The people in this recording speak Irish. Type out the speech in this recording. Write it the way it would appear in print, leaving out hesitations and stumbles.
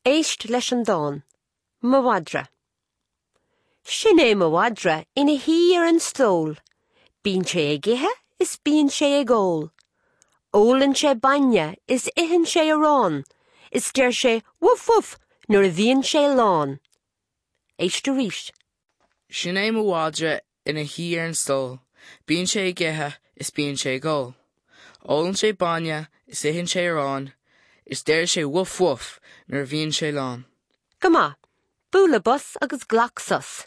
Éist leis an dán, Mo Mhadra. Sin é mo mhadra ina shuí ar an stól. Bíonn sé ag ithe is bíonn sé ag ól. Ólann sé bainne is itheann sé arán, is deir sé woof woof nuair a bhíonn sé lán. Éist arís. Sin é mo mhadra ina shuí ar an stól. Bíonn sé ag ithe is bíonn sé ag ól. Ólann sé bainne is itheann sé arán, is deir sé woof woof nuair a bhíonn sé lán. Go maith. Bualadh bos agus glac sos.